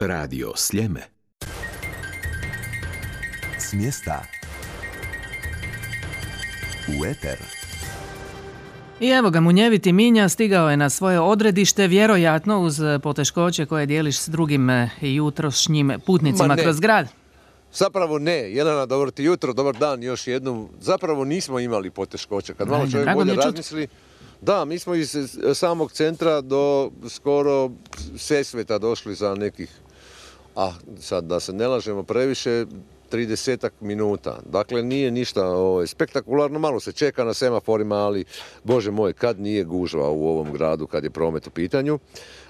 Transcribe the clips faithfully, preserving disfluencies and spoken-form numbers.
Radio Sljeme. S mjesta u eter. I evo ga, munjeviti Minja stigao je na svoje odredište, vjerojatno uz poteškoće koje dijeliš s drugim jutrošnjim putnicima kroz grad. Zapravo ne. Jelena, dobro ti jutro, dobar dan još jednom. Zapravo nismo imali poteškoće. Kad malo čovjek bolje razmisli, da, mi smo iz samog centra do skoro Sesveta došli za nekih, a sad da se ne lažemo previše, tridesetak minuta. Dakle, nije ništa o, spektakularno, malo se čeka na semaforima, ali, Bože moj, kad nije gužva u ovom gradu, kad je promet u pitanju.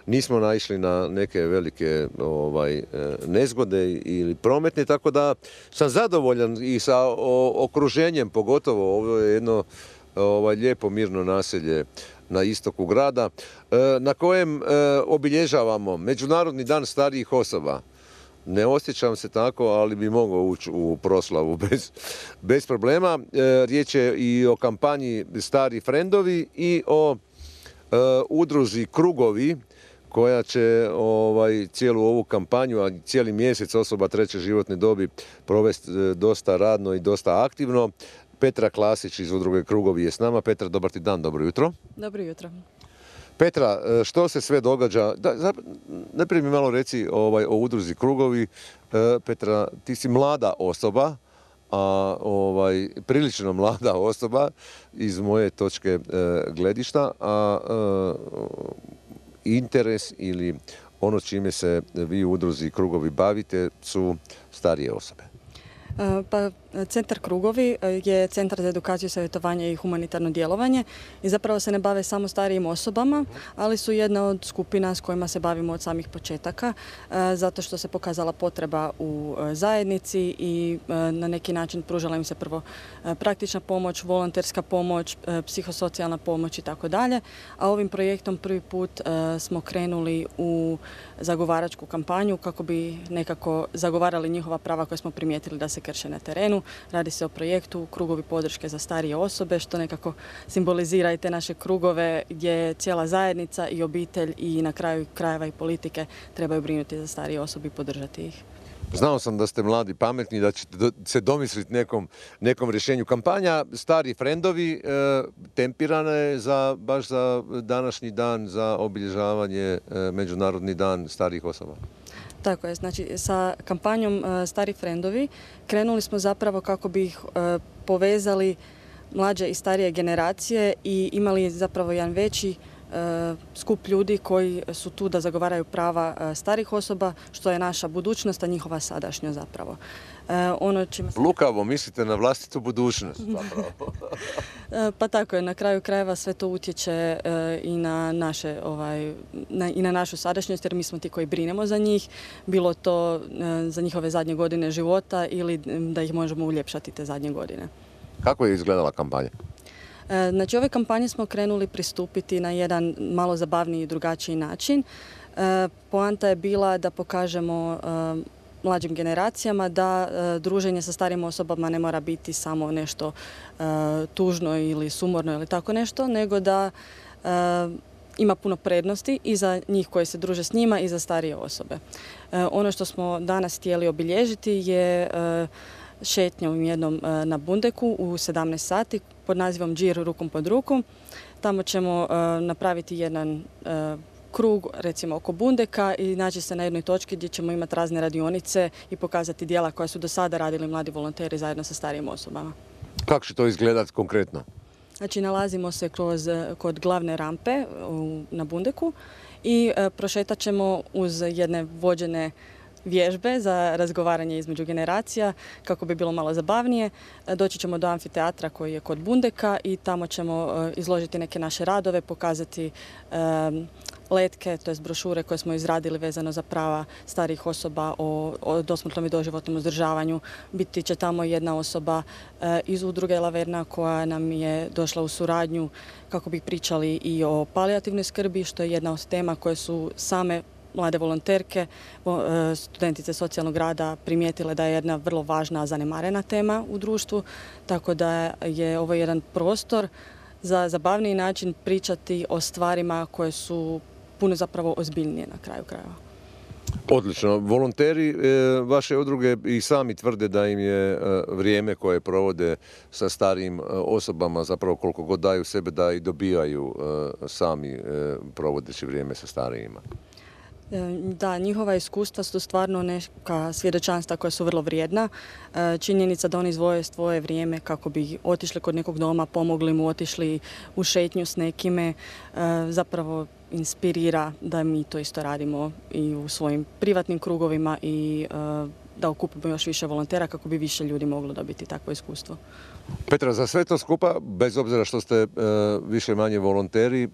Nismo naišli na neke velike ovaj, nezgode ili prometne, tako da sam zadovoljan i sa o, okruženjem, pogotovo ovo je jedno ovaj, lijepo mirno naselje na istoku grada, na kojem obilježavamo Međunarodni dan starijih osoba. Ne osjećam se tako, ali bi mogao ući u proslavu bez, bez problema. E, riječ je i o kampanji Stari frendovi i o e, udruzi Krugovi, koja će ovaj, cijelu ovu kampanju, a cijeli mjesec osoba treće životne dobi provesti e, dosta radno i dosta aktivno. Petra Klasić iz udruge Krugovi je s nama. Petra, dobar ti dan, dobro jutro. Dobro jutro. Petra, što se sve događa? Da, najprije mi malo reci ovaj, o udruzi Krugovi. E, Petra, ti si mlada osoba, a ovaj, prilično mlada osoba iz moje točke e, gledišta, a e, interes ili ono čime se vi u udruzi Krugovi bavite su starije osobe. Pa, Centar Krugovi je centar za edukaciju, savjetovanje i humanitarno djelovanje i zapravo se ne bave samo starijim osobama, ali su jedna od skupina s kojima se bavimo od samih početaka, zato što se pokazala potreba u zajednici i na neki način pružala im se prvo praktična pomoć, volonterska pomoć, psihosocijalna pomoć i tako dalje. A ovim projektom prvi put smo krenuli u zagovaračku kampanju kako bi nekako zagovarali njihova prava koje smo primijetili da se krše na terenu. Radi se o projektu Krugovi podrške za starije osobe, što nekako simbolizira i te naše krugove gdje cijela zajednica i obitelj i na kraju krajeva i politike trebaju brinuti za starije osobe i podržati ih. Znao sam da ste mladi, pametni, da ćete se domisliti nekom, nekom rješenju. Kampanja Stari frendovi e, tempirana je za, baš za današnji dan, za obilježavanje e, Međunarodni dan starijih osoba. Tako je, znači sa kampanjom uh, Stari frendovi krenuli smo zapravo kako bi ih uh, povezali mlađe i starije generacije i imali zapravo jedan veći uh, skup ljudi koji su tu da zagovaraju prava uh, starih osoba, što je naša budućnost, a njihova sadašnjost zapravo. Uh, ono čime... Lukavo, mislite na vlastitu budućnost zapravo. Pa tako je, na kraju krajeva sve to utječe uh, i na naše, ovaj, na, i na našu sadašnjost, jer mi smo ti koji brinemo za njih, bilo to uh, za njihove zadnje godine života ili da ih možemo uljepšati te zadnje godine. Kako je izgledala kampanja? Uh, znači, ove kampanje smo krenuli pristupiti na jedan malo zabavniji i drugačiji način. Uh, poanta je bila da pokažemo uh, mlađim generacijama da e, druženje sa starijim osobama ne mora biti samo nešto e, tužno ili sumorno ili tako nešto, nego da e, ima puno prednosti i za njih koji se druže s njima i za starije osobe. E, ono što smo danas htjeli obilježiti je e, šetnja u jednom e, na Bundeku u sedamnaest sati pod nazivom Džir rukom pod ruku. Tamo ćemo e, napraviti jedan e, krug, recimo oko Bundeka, i naći se na jednoj točki gdje ćemo imati razne radionice i pokazati djela koja su do sada radili mladi volonteri zajedno sa starijim osobama. Kako će to izgledati konkretno? Znači, nalazimo se kroz, kod glavne rampe u, na Bundeku i e, prošetat ćemo uz jedne vođene vježbe za razgovaranje između generacija kako bi bilo malo zabavnije. Doći ćemo do amfiteatra koji je kod Bundeka i tamo ćemo e, izložiti neke naše radove, pokazati e, letke, to jest brošure koje smo izradili vezano za prava starijih osoba o, o dosmrtnom i doživotnom uzdržavanju. Biti će tamo jedna osoba e, iz udruge Laverna koja nam je došla u suradnju kako bi pričali i o palijativnoj skrbi, što je jedna od tema koje su same mlade volonterke, studentice socijalnog rada primijetile da je jedna vrlo važna, zanemarena tema u društvu, tako da je ovo jedan prostor za zabavniji način pričati o stvarima koje su puno zapravo ozbiljnije na kraju krajeva. Odlično. Volonteri e, vaše udruge i sami tvrde da im je e, vrijeme koje provode sa starijim e, osobama, zapravo koliko god daju sebe, da i dobijaju e, sami e, provodeći vrijeme sa starijima. Da, njihova iskustva su stvarno neka svjedočanstva koja su vrlo vrijedna. Činjenica da oni izvoje svoje vrijeme kako bi otišli kod nekog doma, pomogli mu, otišli u šetnju s nekime, zapravo inspirira da mi to isto radimo i u svojim privatnim krugovima i da okupimo još više volontera kako bi više ljudi moglo dobiti takvo iskustvo. Petra, za sve to skupa, bez obzira što ste e, više manje volonteri, e,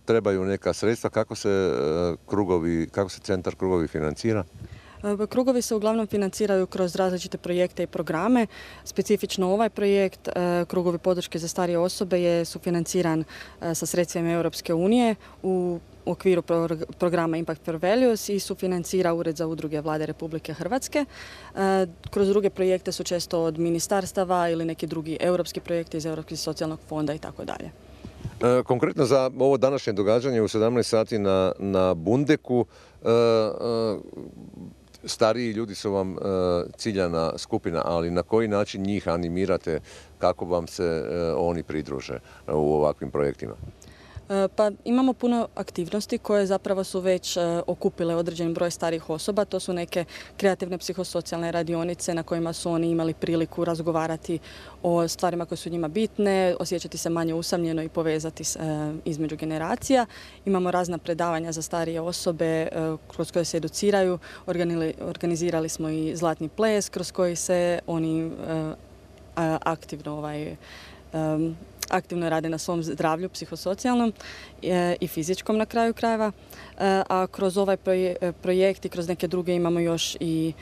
trebaju neka sredstva. Kako se e, krugovi, kako se centar Krugovi financira? Krugovi se uglavnom financiraju kroz različite projekte i programe. Specifično ovaj projekt, Krugovi podrške za starije osobe, je sufinanciran sa sredstvima Europske unije u okviru programa Impact for Values i sufinancira Ured za udruge Vlade Republike Hrvatske. Kroz druge projekte su često od ministarstava ili neki drugi europski projekti iz Europskog socijalnog fonda i tako dalje. Konkretno za ovo današnje događanje u sedamnaest sati na, na Bundeku, stariji ljudi su vam ciljana skupina, ali na koji način njih animirate kako vam se oni pridruže u ovakvim projektima? Pa imamo puno aktivnosti koje zapravo su već okupile određen broj starih osoba. To su neke kreativne psihosocijalne radionice na kojima su oni imali priliku razgovarati o stvarima koje su njima bitne, osjećati se manje usamljeno i povezati između generacija. Imamo razna predavanja za starije osobe kroz koje se educiraju. Organizirali smo i zlatni ples kroz koji se oni aktivno ovaj, aktivno rade na svom zdravlju, psihosocijalnom i fizičkom na kraju krajeva. A kroz ovaj projekt i kroz neke druge imamo još i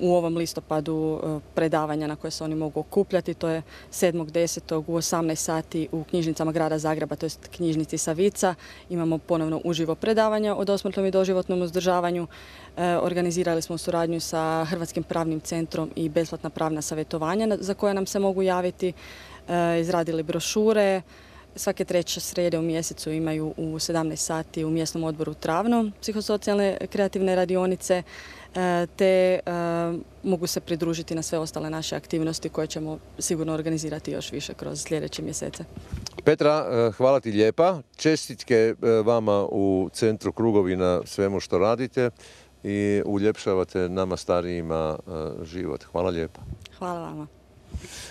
u ovom listopadu predavanja na koje se oni mogu okupljati. To je sedmog desetog u osamnaest sati u knjižnicama grada Zagreba, to je knjižnici Savica. Imamo ponovno uživo predavanja o dosmrtnom i doživotnom uzdržavanju. Organizirali smo suradnju sa Hrvatskim pravnim centrom i besplatna pravna savjetovanja za koje nam se mogu javiti. Izradili brošure. Svake treće srijede u mjesecu imaju u sedamnaest sati u mjesnom odboru Travno psihosocijalne kreativne radionice, te mogu se pridružiti na sve ostale naše aktivnosti koje ćemo sigurno organizirati još više kroz sljedeće mjesece. Petra, hvala ti lijepa. Čestitke vama u Centru Krugovi na svemu što radite i uljepšavate nama starijima život. Hvala lijepa. Hvala vama.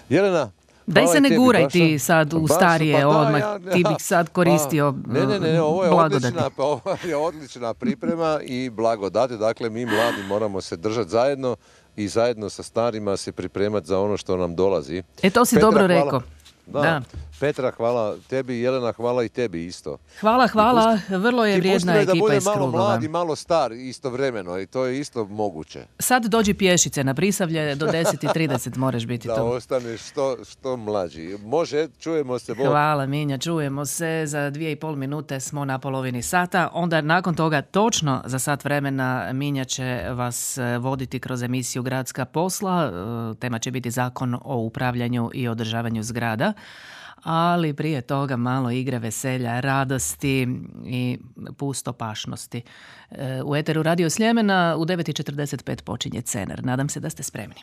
Jelena, daj se ne guraj ti sad u starije, pa odmah ja, ti bih sad koristio pa, ne, ne, ne, ovo je blagodati. Odlična, ovo je odlična priprema i blagodati. Dakle, mi mladi moramo se držati zajedno i zajedno sa starima se pripremati za ono što nam dolazi. E, to si Petra, dobro hvala. rekao. Da. Da. Petra, hvala tebi, Jelena, hvala i tebi isto. Hvala, hvala, pusti, vrlo je vrijedna ekipa iz Krugova. Ti pusti da bude malo mlad i malo star istovremeno i to je isto moguće. Sad dođi pješice na Prisavlje, do deset i trideset moraš biti da tu. Da ostaneš što, što mlađi. Može, čujemo se. Bog. Hvala Minja, čujemo se. Za dvije i pol minute smo na polovini sata. Onda nakon toga točno za sat vremena Minja će vas voditi kroz emisiju Gradska posla. Tema će biti Zakon o upravljanju i održavanju zgrada. Ali prije toga malo igre, veselja, radosti i pustopašnosti. U eteru Radio Sljemena u devet i četrdeset pet počinje Cener. Nadam se da ste spremni.